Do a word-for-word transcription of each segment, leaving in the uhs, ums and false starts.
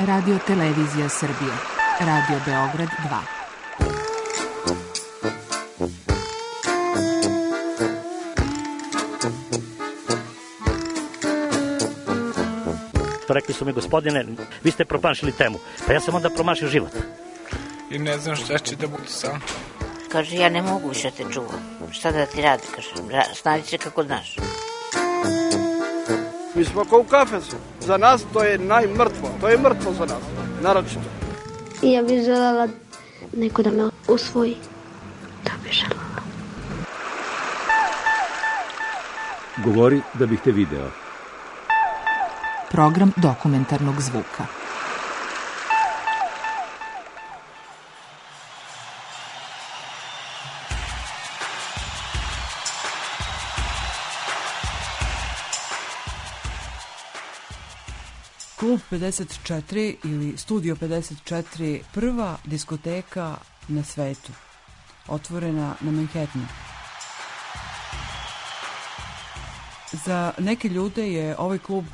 Radio Televizija Srbije, Radio Beograd dva. Rekli su mi, gospodine, vi ste promašili temu. Pa ja sam onda promašio život. I ne znam šta će da bude sam. Kaže, ja ne mogu više te čuvam. Šta da ti radi, kaže, snađi se kako znaš. Mi smo kao u kafesu. Za nas to je najmrtvo. To je mrtvo za nas, naročito. I ja bih želela neko da me usvoji. To bih želela. Govori da bih te video. Program dokumentarnog zvuka. Klub pedeset četiri ili Studio pedeset četiri, prva diskoteka na svetu, otvorena na Manhattanu. Za neke ljude je ovaj klub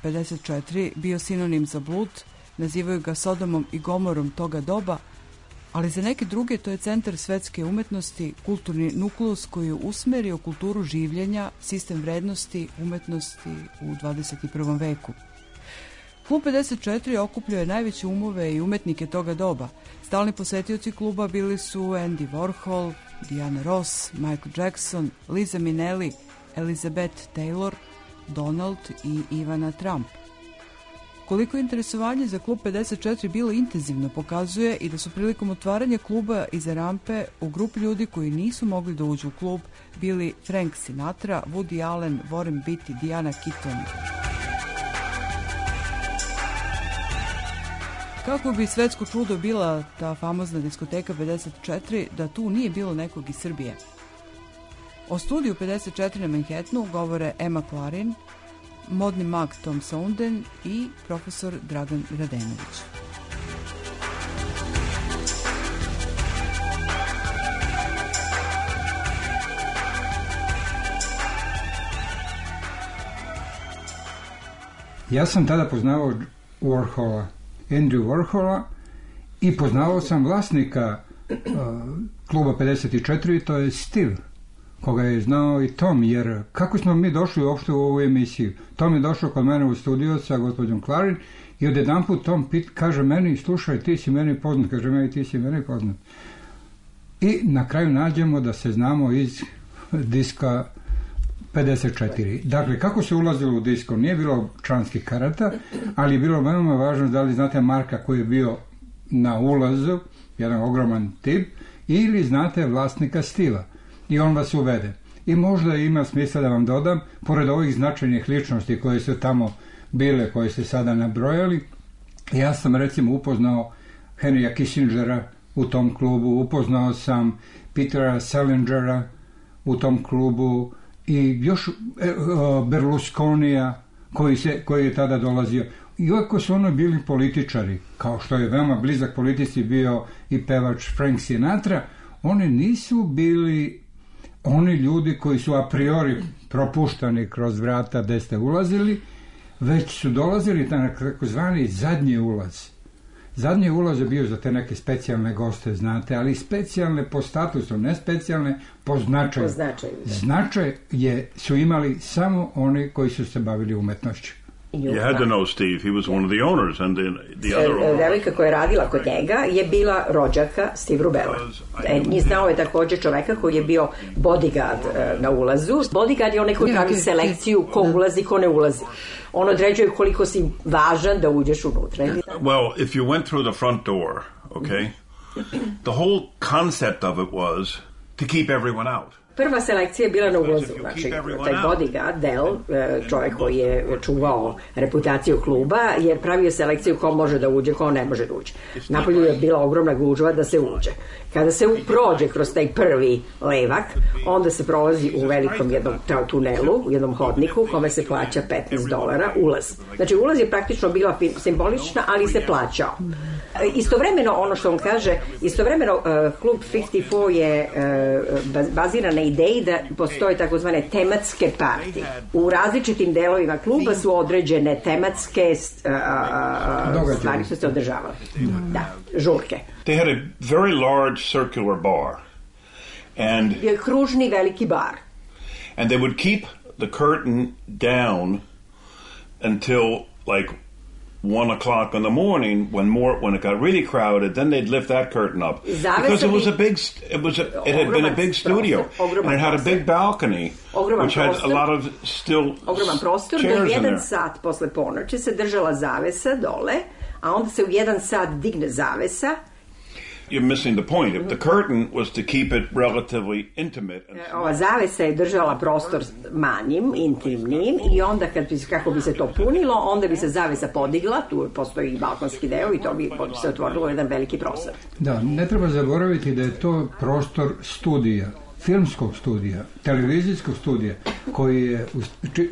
pedeset četiri bio sinonim za blud, nazivaju ga Sodomom i Gomorom toga doba, ali za neke druge to je centar svetske umetnosti, kulturni nukleus koji je usmerio kulturu življenja, sistem vrednosti, umetnosti u dvadeset prvom veku. Klub pedeset četiri okupljao je najveće umove i umetnike toga doba. Stalni posetioci kluba bili su Andy Warhol, Diana Ross, Michael Jackson, Liza Minnelli, Elizabeth Taylor, Donald i Ivana Trump. Koliko je interesovanje za klub pedeset četiri bilo intenzivno pokazuje i da su prilikom otvaranja kluba iza rampe u grupi ljudi koji nisu mogli da uđu u klub bili Frank Sinatra, Woody Allen, Warren Beatty, Diana Keaton. Kako bi svetsko čudo bila ta famozna diskoteka pedeset četiri da tu nije bilo nekog iz Srbije? O studiju pedeset četiri na Manhattanu govore Emma Clarin, modni mag Tom Sounden i profesor Dragan Radenović. Ja sam tada poznavao Warhola, Andrew Warhola, i poznavao sam vlasnika uh, kluba pedeset četiri, to je Steve, koga je znao i Tom, jer kako smo mi došli uopšte u ovu emisiju? Tom je došao kod mene u studio sa gospođom Clarin i odjedanput Tom pit, kaže meni, slušaj, ti si meni poznat, kaže meni, ti si meni poznat. I na kraju nađemo da se znamo iz diska pedeset četiri. Dakle, kako se ulazilo u disko? Nije bilo članskih karata, ali je bilo veoma važno da li znate Marka koji je bio na ulazu, jedan ogroman tip, ili znate vlasnika Stila. I on vas uvede. I možda ima smisla da vam dodam, pored ovih značajnih ličnosti koje su tamo bile, koje ste sada nabrojali, ja sam recimo upoznao Henrya Kissingera u tom klubu, upoznao sam Petera Salingera u tom klubu i još Berlusconija koji, se, koji je tada dolazio. Iako su ono bili političari, kao što je veoma blizak politici bio i pevač Frank Sinatra, oni nisu bili oni ljudi koji su a priori propuštani kroz vrata gde ste ulazili, već su dolazili na takozvani zadnji ulaz. Zadnji ulaz je bio za te neke specijalne goste, znate, ali specijalne po statusu, ne specijalne po značaju. Po značaju. Značaj je, su imali samo oni koji su se bavili umetnošću. You had to know Steve, he was one of the owners and the, the other owners. Devojka koja je radila kod njega je bila rođaka Steve Rubella. I znao je također čoveka koji je bio bodyguard uh, na ulazu. Bodyguard je onaj koji pravi selekciju ko ulazi, ko ne ulazi. On određuje koliko si važan da uđeš unutra. Well, if you went through the front door, okay, the whole concept of it was to keep everyone out. Prva selekcija je bila na ulazu, znači taj bodyguard, Del, čovjek koji je čuvao reputaciju kluba, jer pravio selekciju ko može da uđe, ko ne može da uđe. Napolju je bila ogromna gužva da se uđe. Kada se prođe kroz taj prvi levak, onda se prolazi u velikom jednom tunelu, u jednom hodniku, kome se plaća petnaest dolara ulaz. Znači ulaz je praktično bila simbolična, ali se plaćao. Istovremeno, ono što on kaže, istovremeno uh, klub pedeset četiri je uh, baziran na ideji da postoje takozvane tematske partije. U različitim delovima kluba su određene tematske uh, stvari su se održavale. Da, žurke. They had a very large circular bar. And kružni veliki bar. And they would keep the curtain down until like one o'clock in the morning when more when it got really crowded. Then they'd lift that curtain up because it was a big. It was a, it had been a big studio and it had a big balcony which had a lot of still ogroman prostor. Do jedan sat posle ponoći se držala zavesa dole, a onda se u jedan sat digne zavesa. You're missing the point. If the curtain was to keep it relatively intimate. Ova zavesa je držala prostor manjim, intimnim i onda kad bi, kako bi se to punilo, onda bi se zavesa podigla, tu postoji i balkonski deo i to bi se otvorilo jedan veliki prostor. Da, ne treba zaboraviti da je to prostor studija, filmskog studija, televizijskog studija, koji je,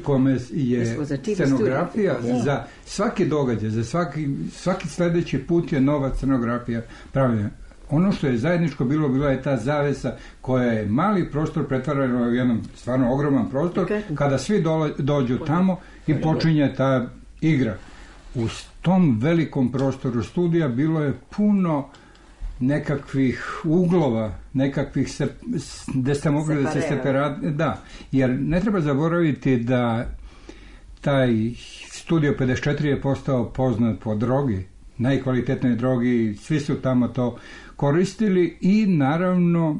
kome je scenografija za svaki događaj, za svaki, svaki sledeći put je nova scenografija pravljena. Ono što je zajedničko bilo, bila je ta zavesa koja je mali prostor pretvarana u jedan stvarno ogroman prostor, kada svi dole, dođu tamo i počinje ta igra. U tom velikom prostoru studija bilo je puno nekakvih uglova, nekakvih se, gde ste mogli da se separati, da, jer ne treba zaboraviti da taj Studio pedeset četiri je postao poznat po drogi, najkvalitetnoj drogi, svi su tamo to koristili i naravno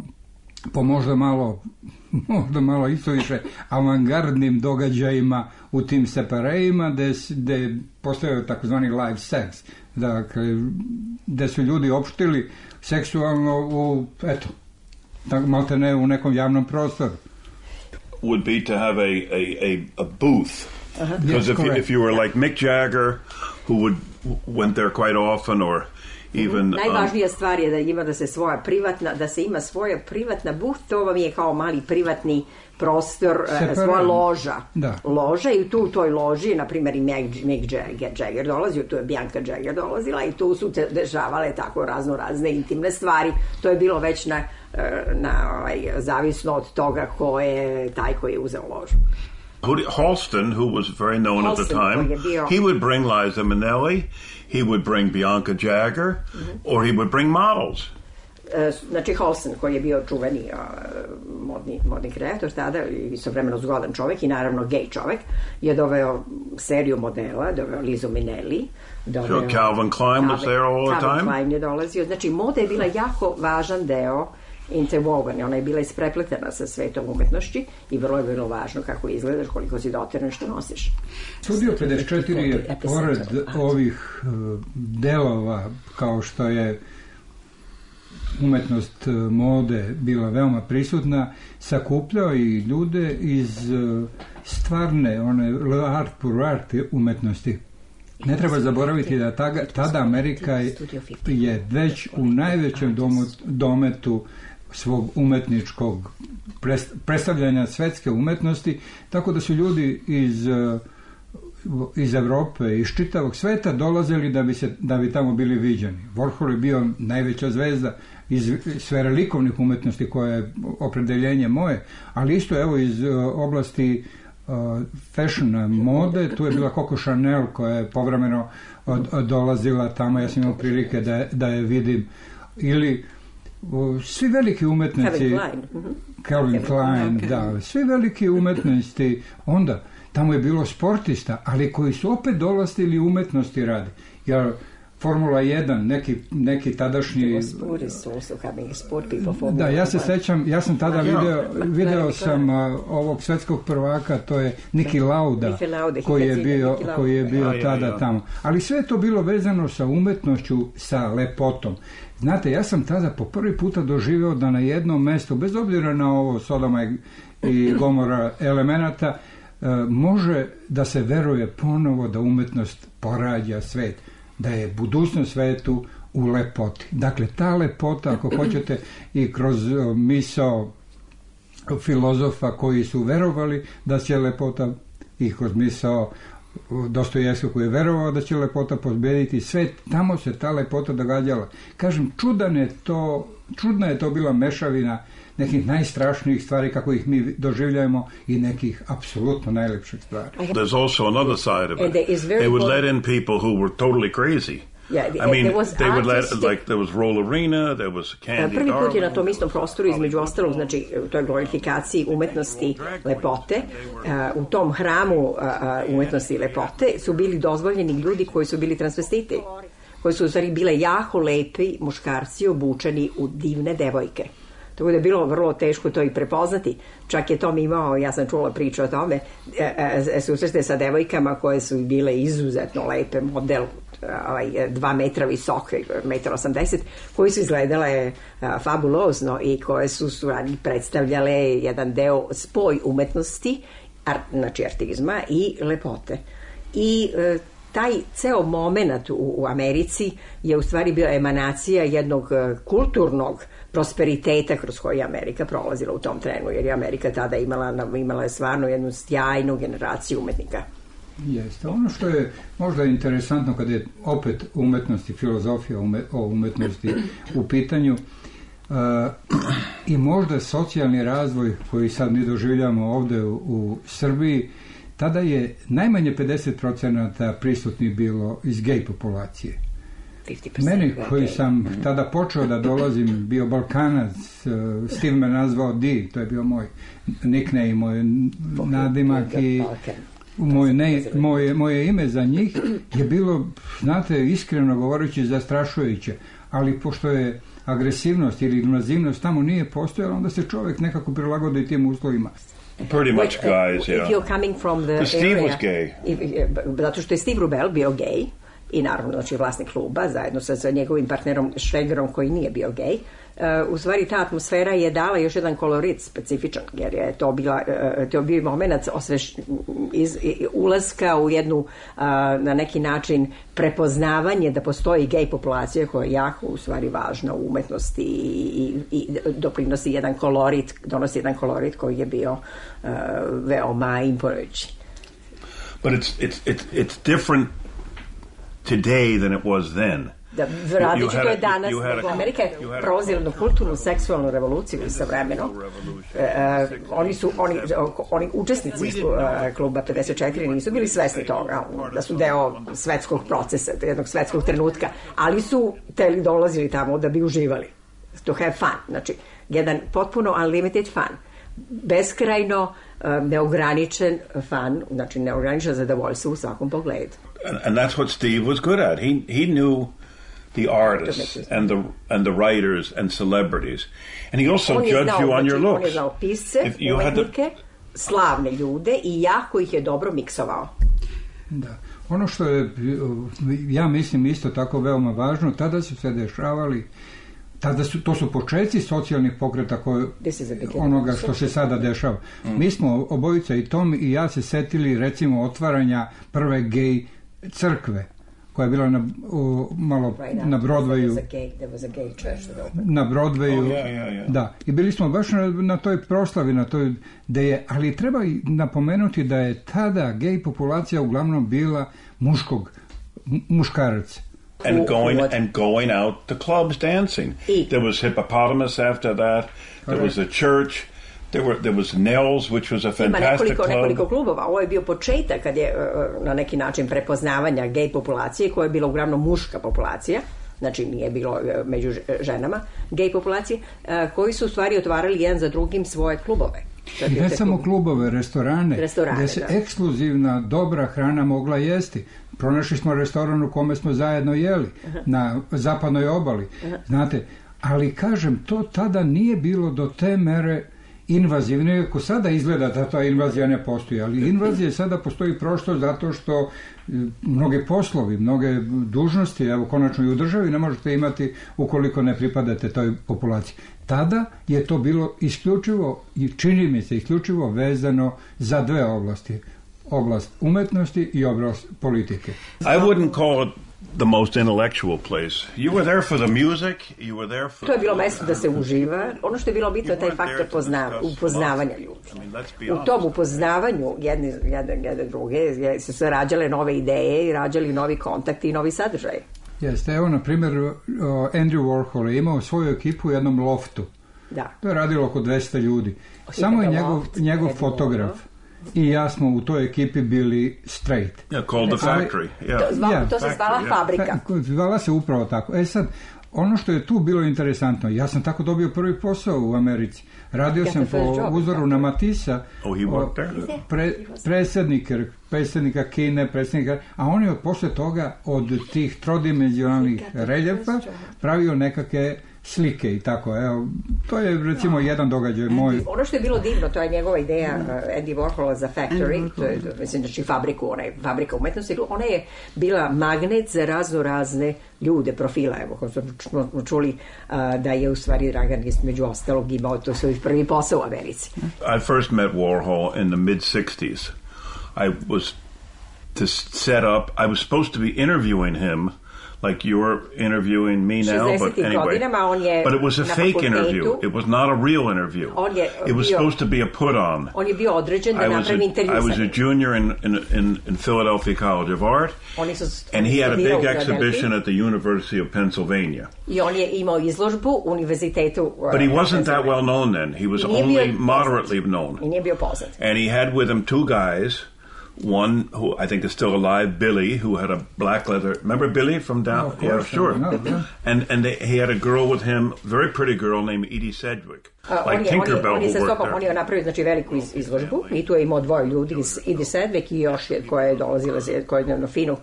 po možda malo možda malo isto više avangardnim događajima u tim separejima gde, gde postoje takozvani live sex, dakle gde su ljudi opštili seksualno u, eto, malte ne u nekom javnom prostoru. Would be to have a, a, a, a booth. Uh-huh. Because yes, if, you, if you were like Mick Jagger, who would went there quite often, or even... Um, Najvažnija stvar je da ima da se svoja privatna, da se ima svoja privatna booth, to vam je kao mali privatni prostor, uh, svoja loža. Da. Loža i tu u toj loži, na primjer i Mick, Mick Jagger, Jagger dolazio, tu je Bianca Jagger dolazila i tu su te dešavale tako razno razne intimne stvari. To je bilo već na, na ovaj, zavisno od toga ko je taj koji je uzeo ložu. Halston, who was very known Halston, at the time, he would bring Liza Minnelli, he would bring Bianca Jagger, mm-hmm. or he would bring models. Znači Halston, koji je bio čuveni uh, modni, modni kreator tada i istovremeno zgodan čovek i naravno gej čovek, je doveo seriju modela, doveo Lizu Minnelli, doveo... So Calvin Klein was there all the time? Calvin Klein je dolazio. Znači moda je bila jako važan deo interwoven, ona je bila isprepletena sa svetom umetnošći i vrlo je bilo važno kako izgledaš, koliko si dotiran, što nosiš. Studio pedeset četiri je pored ovih delova kao što je umetnost mode bila veoma prisutna, sakupljao i ljude iz stvarne, one art pour art umetnosti. Ne treba zaboraviti da tada, tada Amerika je već u najvećem domu, dometu svog umetničkog predstavljanja svetske umetnosti, tako da su ljudi iz, iz Evrope, iz čitavog sveta dolazili da bi, se, da bi tamo bili viđeni. Warhol je bio najveća zvezda iz sfere likovnih umetnosti koja je opredeljenje moje, ali isto evo iz oblasti uh, fashiona, mode, tu je bila Coco Chanel koja je povremeno od, od dolazila tamo, ja sam imao prilike da, da je vidim, ili uh, svi veliki umetnici Calvin Klein, mm-hmm. Calvin Klein, okay. da, svi veliki umetnici, onda tamo je bilo sportista, ali koji su opet dolazili umetnosti radi, jer Formula jedan, neki, neki tadašnji... Da, ja se sećam, ja sam tada video, video sam uh, ovog svetskog prvaka, to je Niki Lauda, koji je bio, koji je bio tada tamo. Ali sve je to bilo vezano sa umetnošću, sa lepotom. Znate, ja sam tada po prvi puta doživeo da na jednom mestu, bez obzira na ovo Sodoma i, i Gomora elemenata, uh, može da se veruje ponovo da umetnost porađa svet, da je budućnost svetu u lepoti. Dakle, ta lepota, ako hoćete, i kroz misao filozofa koji su verovali da će lepota, i kroz misao Dostojevskog koji je verovao da će lepota pobediti svet, tamo se ta lepota događala. Kažem, čudan je to, čudna je to bila mešavina nekih najstrašnijih stvari kako ih mi doživljajemo i nekih apsolutno najlepših stvari. There's also another side of it. They would let in people who were totally crazy. Yeah, I mean, they would let, artistic... like, there was Roll Arena, there was Candy Prvi put je na Darling. tom istom prostoru, između ostalog, znači, u toj glorifikaciji umetnosti lepote, uh, u tom hramu uh, umetnosti i lepote su bili dozvoljeni ljudi koji su bili transvestiti, koji su u stvari bile jako lepi muškarci obučeni u divne devojke. Tako da je bilo vrlo teško to i prepoznati. Čak je Tom imao, ja sam čula priču o tome, susrete sa devojkama koje su bile izuzetno lepe, model ovaj, dva metra visoke, metar osamdeset, koji su izgledale a, fabulozno i koje su suradnji predstavljale jedan deo spoj umetnosti, ar, znači artizma i lepote. I e, taj ceo moment u, u Americi je u stvari bio emanacija jednog kulturnog prosperiteta kroz koji je Amerika prolazila u tom trenu, jer je Amerika tada imala, imala je stvarno jednu sjajnu generaciju umetnika. Jeste. Ono što je možda interesantno kada je opet umetnost i filozofija ume, o umetnosti u pitanju uh, i možda socijalni razvoj koji sad mi doživljamo ovde u, u Srbiji, tada je najmanje pedeset procenata prisutnih bilo iz gej populacije. Meni koji sam tada počeo da dolazim, bio Balkanac, Steve me nazvao D, to je bio moj nickname, moj nadimak i moje, ne, moje, moje ime za njih je bilo, znate, iskreno govoreći, zastrašujuće, ali pošto je agresivnost ili invazivnost tamo nije postojala, onda se čovjek nekako prilagodi tim uslovima. Pretty much guys, if yeah. You're coming from the Steve area, was gay. If, zato što je Steve Rubel bio gej i naravno znači vlasnik kluba zajedno sa, sa njegovim partnerom Šregerom koji nije bio gej. Uh, u stvari ta atmosfera je dala još jedan kolorit specifičan, jer je to bila uh, to bio moment osveš, iz, iz, ulaska u jednu uh, na neki način prepoznavanje da postoji gej populacija koja je jako u stvari važna u umetnosti i, i, i doprinosi jedan kolorit, donosi jedan kolorit koji je bio uh, veoma imponujući. But it's it's it's it's different today than it was then. Da, različito je danas, nego Amerika je prolazila jednu kulturnu, seksualnu revoluciju sa vremenom. E, e, oni su, oni, oni učesnici uh, kluba pedeset četiri nisu bili svesni toga, da su deo svetskog procesa, jednog svetskog trenutka, ali su teli dolazili tamo da bi uživali. To have fun, znači jedan potpuno unlimited fun. Beskrajno uh, neograničen fun, znači neograničen zadovoljstvo u svakom pogledu. And, and that's what Steve was good at. He he knew the artists and the and the writers and celebrities, and he also judged znao, you on your looks. On je znao pisce, umetnike, to... slavne ljude i jako ih je dobro miksovao. Da. Ono što je, ja mislim isto tako veoma važno, tada su se dešavali, tada su, to su početci socijalnih pokreta koje, onoga što se sada dešava. Mm. Mi smo obojica i Tom i ja se setili recimo otvaranja prve gej crkve koja je bila na, o, malo right na Broadwayu. Na Broadwayu. Oh, yeah, yeah, yeah. Da. I bili smo baš na, na toj proslavi, na toj, da je, ali treba napomenuti da je tada gej populacija uglavnom bila muškog, muškarac. And going and going out to clubs dancing. There was Hippopotamus after that. There was a church. There were there was Nels, which was a fantastic Ima nekoliko, club. nekoliko klubova. Ovo je bio početak kad je uh, na neki način prepoznavanja gej populacije, koja je bila uglavnom muška populacija, znači nije bilo uh, među ženama, gej populacije, uh, koji su u stvari otvarali jedan za drugim svoje klubove. I ne samo klubove, restorane, restorane gde se da. Ekskluzivna dobra hrana mogla jesti. Pronašli smo restoran u kome smo zajedno jeli, aha, na zapadnoj obali. Aha. Znate, ali kažem, to tada nije bilo do te mere invazivne, ako sada izgleda da ta invazija ne postoji, ali invazija sada postoji prosto zato što mnoge poslovi, mnoge dužnosti, evo konačno i u državi ne možete imati ukoliko ne pripadate toj populaciji. Tada je to bilo isključivo i čini mi se isključivo vezano za dve oblasti. Oblast umetnosti i oblast politike. I wouldn't call it the most intellectual place. You were there for the music, you were there for... To je bilo mesto da se uživa. Ono što je bilo bitno je taj faktor pozna, upoznavanja ljudi. U tom upoznavanju jedne, jedne, jedne druge su se rađale nove ideje i rađali novi kontakti i novi sadržaj. Jeste, evo na primjer Andrew Warhol je imao svoju ekipu u jednom loftu Da. To je radilo oko dvesta ljudi. Samo je njegov, njegov fotograf i ja smo u toj ekipi bili straight. Yeah, called the factory. Yeah. To, zvala, yeah. to se zvala Factory, fabrika. Zvala se upravo tako. E sad, ono što je tu bilo interesantno, ja sam tako dobio prvi posao u Americi. Radio sam po uzoru na Matissa, Oh, he worked there? pre, predsjednika, predsjednika Kine, predsjednika, a on je posle toga od tih trodimenzionalnih reljefa pravio nekakve slike i tako, evo, to je recimo jedan događaj moj. Ono što je bilo divno, to je njegova ideja uh, Andy Warhola za Factory, to je, mislim, znači fabriku, ona je fabrika umetnosti, ona je bila magnet za razno razne ljude, profila, evo, kao smo čuli uh, da je u stvari Dragan među ostalog imao to svoj prvi posao u Americi. I first met Warhol in the mid sixties. I was to set up, I was supposed to be interviewing him like you're interviewing me now, but anyway. But it was a fake interview. It was not a real interview. It was supposed to be a put-on. On je bio određen da napravi intervju sa njim. I was a junior in, in, in, in Philadelphia College of Art, and he had a big exhibition at the University of Pennsylvania. I on je imao izložbu u univerzitetu. But he wasn't that well known then. He was only moderately known. I nije bio poznat. And he had with him two guys. One who I think is still alive, Billy, who had a black leather. Remember Billy from down? Oh, yeah, sure. No, yeah. And and they, he had a girl with him, very pretty girl named Edie Sedgwick, uh, like on Tinkerbell on je, on je who worked stopom, there. on je napravio znači veliku iz, izložbu i tu je imao dvoje ljudi, Edie Sedgwick i još je, koja je dolazila, koja je na finu uh,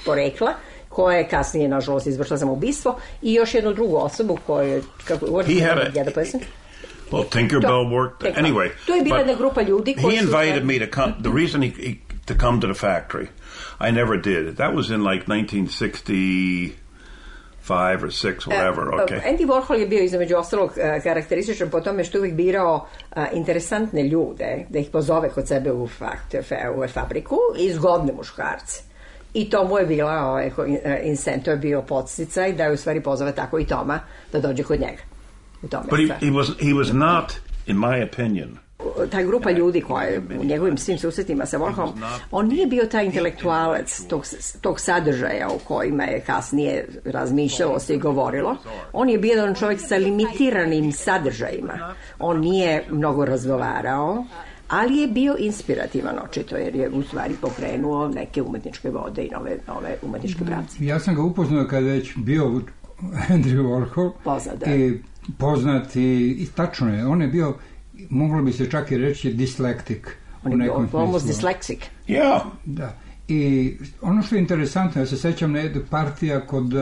porekla, koja je kasnije, nažalost, izvršila samoubistvo, i još jednu drugu osobu koja je, kako, he had a, well, Tinkerbell worked. Anyway, to je bila jedna grupa ljudi koji he invited me to come. The reason he, he to come to the factory, I never did. That was in like nineteen sixty-five or six, whatever. Uh, okay. Andy Warhol je bio između ostalog uh, karakterističan po tome što uvijek birao uh, interesantne ljude da ih pozove kod sebe u, fakt, u fabriku i zgodne muškarce. I to mu je bila, ovaj, incent, to je bio podsticaj da je u stvari pozove tako i Toma da dođe kod njega. But he, he was he was not, in my opinion. Ta grupa ljudi koja je u njegovim svim susretima sa Warholom, on nije bio taj intelektualac tog, tog sadržaja o kojima je kasnije razmišljalo se i govorilo. On je bio jedan čovjek sa limitiranim sadržajima. On nije mnogo razgovarao, ali je bio inspirativan očito, jer je u stvari pokrenuo neke umetničke vode i nove, nove umetničke pravce. Ja sam ga upoznao kada je već bio Andrew Warhol. Poznat, da. I poznat i, i tačno je, on je bio, moglo bi se čak i reći, dyslektik. On je bio almost dyslexic. Yeah. Da. I ono što je interesantno, ja se sećam na jednu partija kod uh,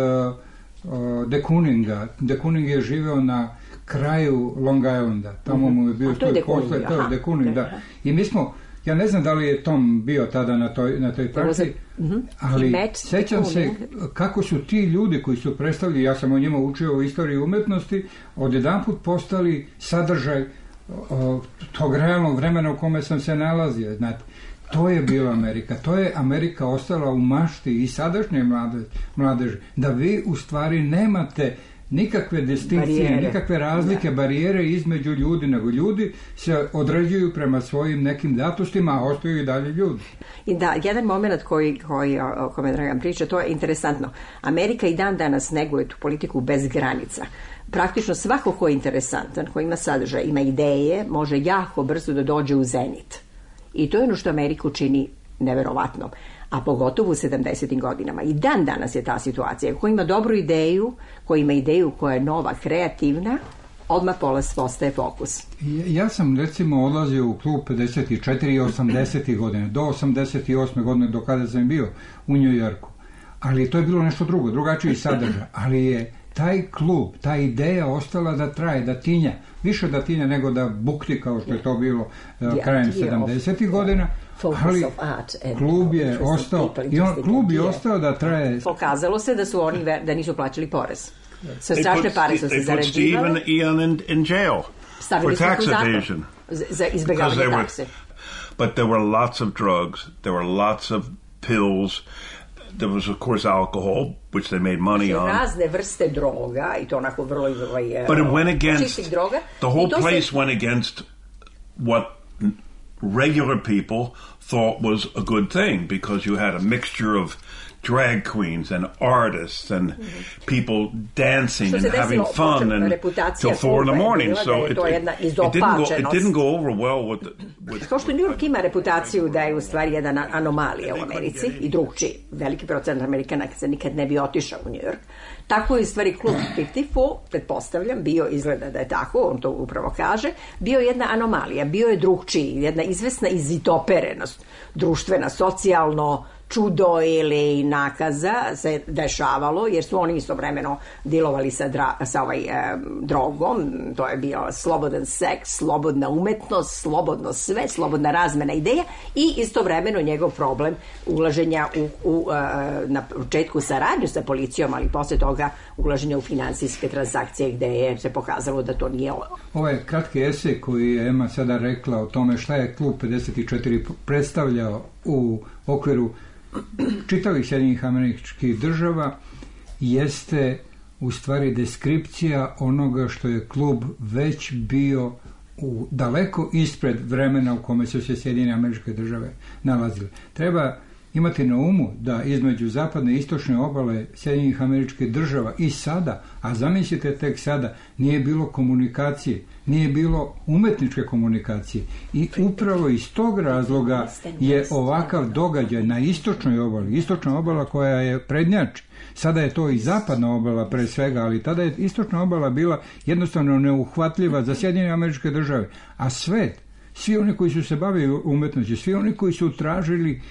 uh, de Kooninga. De Kooning je živeo na kraju Long Islanda. Tamo mu je bio to je posle, to je de Kooning, da. I mi smo, ja ne znam da li je Tom bio tada na toj, na toj partiji, mm-hmm. ali sećam se kako su ti ljudi koji su predstavili, ja sam o njima učio u istoriji umetnosti, odjedanput postali sadržaj o, tog realnog vremena u kome sam se nalazio, znate. To je bila Amerika. To je Amerika ostala u mašti i sadašnje mladeži, mladeži, da vi u stvari nemate nikakve distinkcije, barijere. Nikakve razlike, da. Barijere između ljudi, nego ljudi se određuju prema svojim nekim datostima, a ostaju i dalje ljudi. I da, jedan moment koji, koji o kome Dragan priča, to je interesantno. Amerika i dan danas neguje tu politiku bez granica. Praktično svako ko je interesantan, ko ima sadržaj, ima ideje, može jako brzo da dođe u zenit. I to je ono što Ameriku čini neverovatnom. A pogotovo u sedamdesetim godinama. I dan danas je ta situacija. Ko ima dobru ideju, ko ima ideju koja je nova, kreativna, odmah polas postaje fokus. Ja, ja sam recimo odlazio u klub pedeset četiri i osamdesetih godine, do osamdeset osme godine, do kada sam bio u New Yorku. Ali to je bilo nešto drugo, drugačiji sadržaj. Ali je taj klub, ta ideja ostala da traje, da tinja. Više da tinja nego da bukti kao što je to bilo uh, krajem sedamdesetih godina. Ali klub je ostao i on, klub je ostao da traje. Pokazalo se da su oni da nisu plaćali porez. Sa strašne pare su se zarađivale. They put Steve and Ian in, in jail for tax evasion. Za izbjegavanje takse. But there were lots of drugs, there were lots of pills. There was, of course, alcohol, which they made money on. Razne vrste droga, i to onako vrlo... But it went against... The whole place went against what regular people thought was a good thing because you had a mixture of drag queens and artists and people dancing and having fun and till four in the morning. So it, it, it, didn't go, it didn't go over well with... The, with Kao što New York ima reputaciju da je u stvari jedna anomalija u Americi i drugčiji, veliki procent Amerikana se nikad ne bi otišao u New York, tako je u stvari klub pedeset četiri, pretpostavljam, bio, izgleda da je tako, on to upravo kaže, bio jedna anomalija, bio je drugčiji, jedna izvesna izvitoperenost, društvena, socijalno, čudo ili nakaza se dešavalo, jer su oni istovremeno dilovali sa, dra, sa ovaj, e, drogom, to je bio slobodan seks, slobodna umetnost, slobodno sve, slobodna razmena ideja i istovremeno njegov problem ulaženja u, u, e, na početku saradnju sa policijom, ali posle toga ulaženja u finansijske transakcije gde je se pokazalo da to nije ovo. Ovaj kratki esej koji je Ema sada rekla o tome šta je klub pedeset četiri predstavljao u okviru čitavih Sjedinjenih Američkih Država jeste u stvari deskripcija onoga što je klub već bio u daleko ispred vremena u kome su se Sjedinjene Američke Države nalazile. Treba imati na umu da između zapadne i istočne obale Sjedinjenih Američkih Država i sada, a zamislite tek sada, nije bilo komunikacije, nije bilo umetničke komunikacije i upravo iz tog razloga je ovakav događaj na istočnoj obali, istočna obala koja je prednjač, sada je to i zapadna obala pre svega, ali tada je istočna obala bila jednostavno neuhvatljiva za Sjedinjene Američke Države, a svet, svi oni koji su se bavili umetnošću, svi oni koji su tražili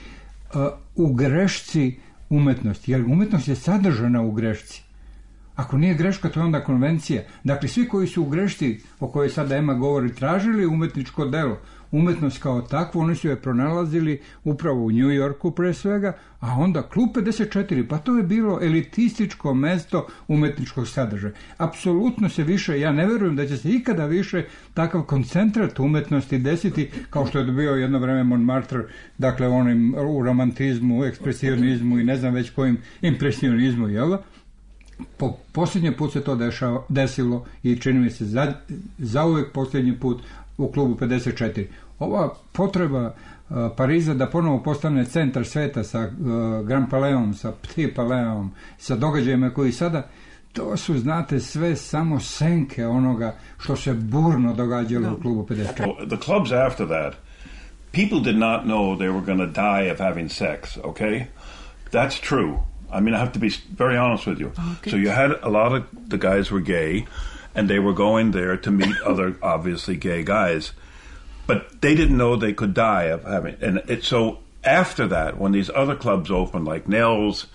uh, u grešci umetnosti, jer umetnost je sadržana u grešci. Ako nije greška, to je onda konvencija. Dakle, svi koji su u grešci, o kojoj sada Ema govori, tražili umetničko delo, umetnost kao takvu, oni su je pronalazili upravo u New Yorku pre svega, a onda klub pedeset četiri, pa to je bilo elitističko mesto umetničkog sadržaja. Apsolutno se više, ja ne verujem da će se ikada više takav koncentrat umetnosti desiti, kao što je bio jedno vreme Montmartre, dakle onim u romantizmu, ekspresionizmu i ne znam već kojim impresionizmu, jel da? Po posljednji put se to dešava, desilo i čini mi se za, za uvijek posljednji put u klubu pedeset četiri. Ova potreba uh, Pariza da ponovo postane centar sveta sa uh, Grand Paleom, sa Petit Paleom, sa događajima koji sada, to su, znate, sve samo senke onoga što se burno događalo no. u klubu pedeset četiri. The clubs after that, people did not know they were going to die of having sex, okay? That's true. I mean, I have to be very honest with you. Okay. So you had a lot of the guys were gay, and they were going there to meet other, obviously, gay guys. But they didn't know they could die of having... And it, so after that, when these other clubs opened, like Nels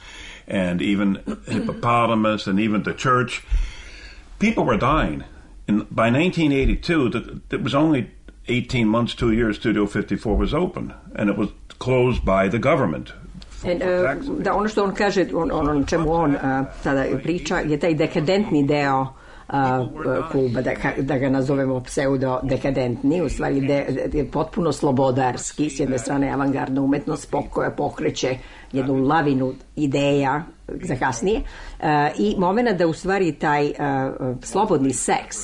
and even Hippopotamus and even the church, people were dying. And by nineteen eighty-two, the, it was only eighteen months, two years, Studio fifty-four was open. And it was closed by the government. And, uh, da, ono što on kaže, on, ono čemu on uh, tada priča, je taj dekadentni deo uh, kluba, da, da ga nazovemo pseudo-dekadentni, u stvari de, de, potpuno slobodarski, s jedne strane avangardna umetnost koja pokreće jednu lavinu ideja za kasnije uh, i momena da u stvari taj uh, slobodni seks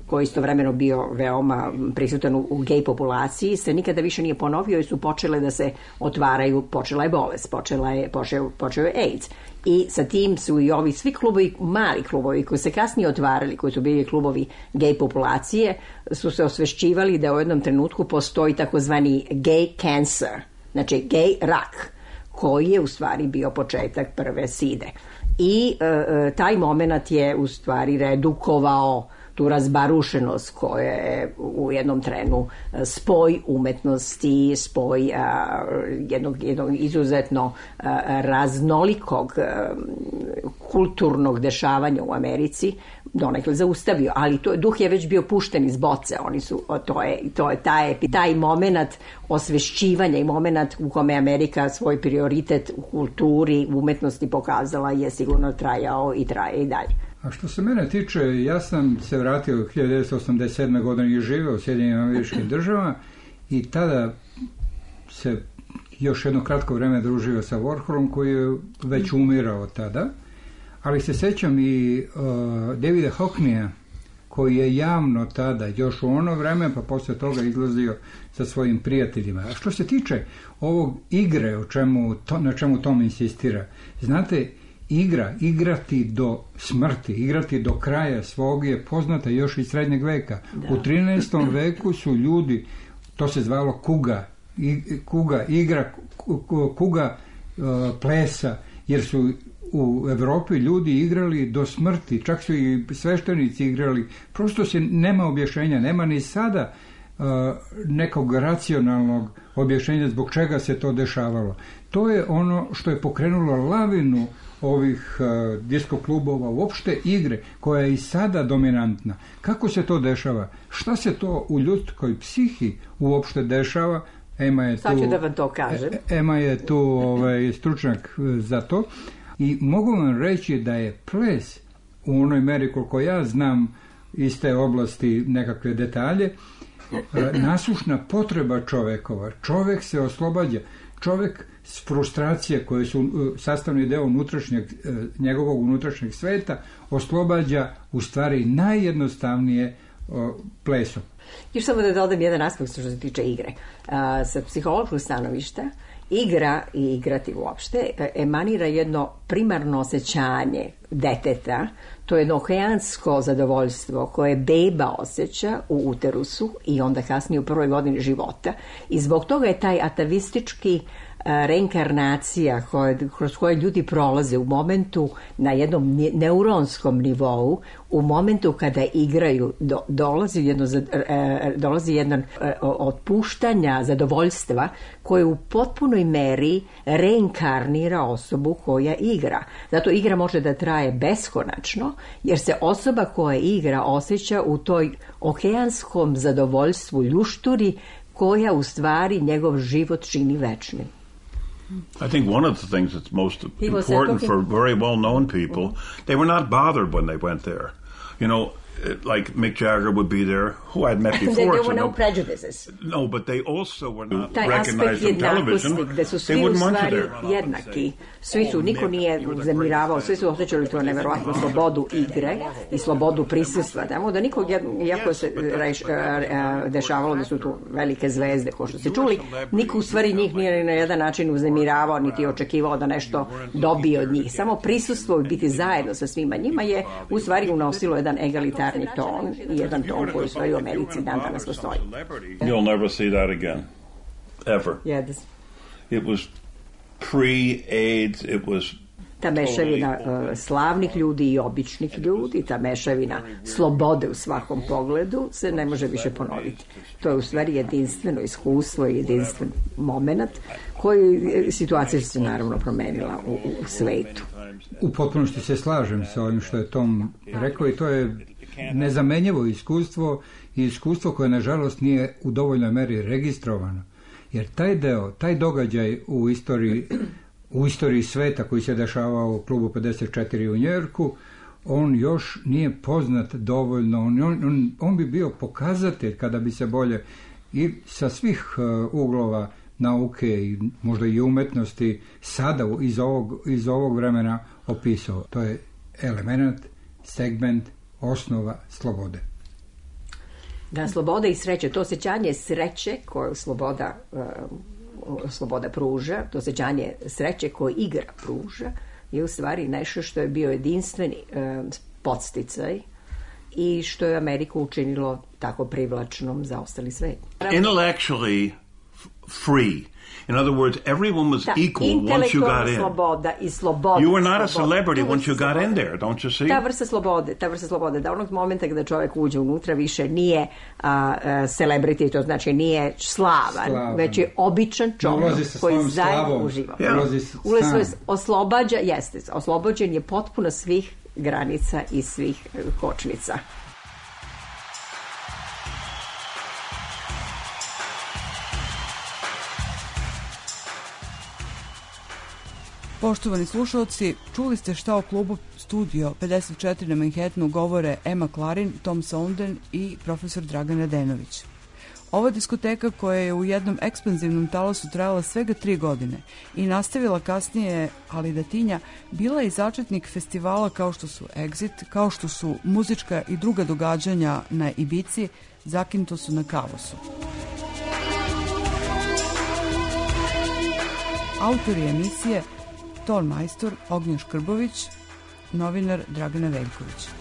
koji istovremeno bio veoma prisutan u, u gej populaciji, se nikada više nije ponovio i su počele da se otvaraju, počela je bolest, počela je, počeo, počeo je AIDS. I sa tim su i ovi svi klubovi, mali klubovi koji se kasnije otvarali, koji su bili klubovi gej populacije, su se osvešćivali da u jednom trenutku postoji takozvani gay cancer, znači gej rak, koji je u stvari bio početak prve side. I e, taj moment je u stvari redukovao tu razbarušenost koja je u jednom trenu spoj umetnosti, spoj a, jednog, jednog izuzetno a, raznolikog a, kulturnog dešavanja u Americi donekle zaustavio, ali to, duh je već bio pušten iz boce, oni su, to je, to je taj, taj moment osvešćivanja i moment u kome Amerika svoj prioritet u kulturi, u umetnosti pokazala je sigurno trajao i traje i dalje. A što se mene tiče, ja sam se vratio u hiljadu devetsto osamdeset sedme. godine i živeo u Sjedinjenim Američkim Državama i tada se još jedno kratko vreme družio sa Warholom koji je već umirao tada, ali se sećam i uh, Davida Hockneya koji je javno tada, još u ono vreme, pa posle toga izlazio sa svojim prijateljima. A što se tiče ovog igre, o čemu, to, na čemu Tom insistira, znate, igra, igrati do smrti, igrati do kraja svog je poznata još iz srednjeg veka. Da. U trinaestom veku su ljudi, to se zvalo kuga, i, kuga igra, kuga uh, plesa, jer su u Evropi ljudi igrali do smrti, čak su i sveštenici igrali, prosto se nema objašnjenja, nema ni sada uh, nekog racionalnog objašnjenja zbog čega se to dešavalo. To je ono što je pokrenulo lavinu ovih uh, disko klubova, uopšte igre, koja je i sada dominantna. Kako se to dešava? Šta se to u ljudskoj psihi uopšte dešava? Ema je tu, sad ću da vam to kažem. Ema je tu ovaj, stručnjak za to. I mogu vam reći da je ples, u onoj meri koliko ja znam iz te oblasti nekakve detalje, nasušna potreba čovekova. Čovek se oslobađa. Čovek s frustracije koje su sastavni deo unutrašnjeg, njegovog unutrašnjeg sveta oslobađa u stvari najjednostavnije plesom. Još samo da dodam jedan aspekt što se tiče igre. A, sa psihološkog stanovišta, igra i igrati uopšte emanira jedno primarno osjećanje deteta, to je jedno okeansko zadovoljstvo koje beba osjeća u uterusu i onda kasnije u prvoj godini života i zbog toga je taj atavistički reinkarnacija koje, kroz koje ljudi prolaze u momentu na jednom neuronskom nivou, u momentu kada igraju do, dolazi jedno, dolazi jedno otpuštanja zadovoljstva koje u potpunoj meri reinkarnira osobu koja igra. Zato igra može da traje beskonačno, jer se osoba koja igra osjeća u toj okeanskom zadovoljstvu ljušturi koja u stvari njegov život čini večnim. I think one of the things that's most important for very well-known people, they were not bothered when they went there. You know, like Mick Jagger would be there, who I'd met before. There were so no, no prejudices. No, but they also were not Taj recognized aspekt on television. Gde su They svi u wouldn't want you stvari there. jednaki. Svi su, niko nije zamiravao, svi su osjećali to neverovatnu slobodu igre i slobodu prisustva. Tamo da nikog, iako se reš, dešavalo da su tu velike zvezde, ko što se čuli, niko u stvari njih nije na jedan način uznemiravao, niti očekivao da nešto dobije od njih. Samo prisustvo i biti zajedno sa svima njima je u stvari unosilo jedan egalitarni ton i jedan ton koji u stvari u Americi dan danas postoji. You'll never see that again. Ever. Yes. It was pre-AIDS, it was ta mešavina uh, slavnih ljudi i običnih ljudi, ta mešavina slobode u svakom pogledu se ne može više ponoviti. To je u stvari jedinstveno iskustvo i jedinstven moment koji situacija se naravno promenila u, u svetu. U potpunosti se slažem sa ovim što je Tom rekao i to je nezamenjivo iskustvo i iskustvo koje nažalost nije u dovoljnoj meri registrovano. Jer taj deo, taj događaj u istoriji, u istoriji sveta koji se dešavao u klubu pedeset četiri u Njujorku, on još nije poznat dovoljno. On, on, on bi bio pokazatelj kada bi se bolje i sa svih uh, uglova nauke i možda i umetnosti sada iz ovog, iz ovog vremena opisao. To je element, segment, osnova slobode. Da, sloboda i sreće, to osjećanje sreće koju sloboda, uh, sloboda pruža, to osjećanje sreće koje igra pruža, je u stvari nešto što je bio jedinstveni uh, podsticaj i što je Ameriku učinilo tako privlačnom za ostali svet. Intellectually free. In other words, everyone was da, equal once you got in. Sloboda i sloboda. You were not sloboda. a celebrity once you got in there, don't you see? Ta vrsta slobode, ta vrsta slobode, da onog momenta kada čovjek uđe unutra više nije uh, celebrity, to znači nije slavan, slavan. Već je običan čovjek koji zajedno uživa. Yeah. Ulazi se oslobađa, jeste, oslobođen je potpuno svih granica i svih kočnica. Poštovani slušalci, čuli ste šta o klubu Studio pedeset četiri na Manhattanu govore Emma Klarin, Tom Sounden i profesor Dragan Radenović. Ova diskoteka koja je u jednom ekspanzivnom talasu trajala svega tri godine i nastavila kasnije, ali da tinja, bila je i začetnik festivala kao što su Exit, kao što su muzička i druga događanja na Ibici, Zakintosu na Kavosu. Autori emisije: ton majstor Ognjen Škrbović, novinar Dragana Veljković.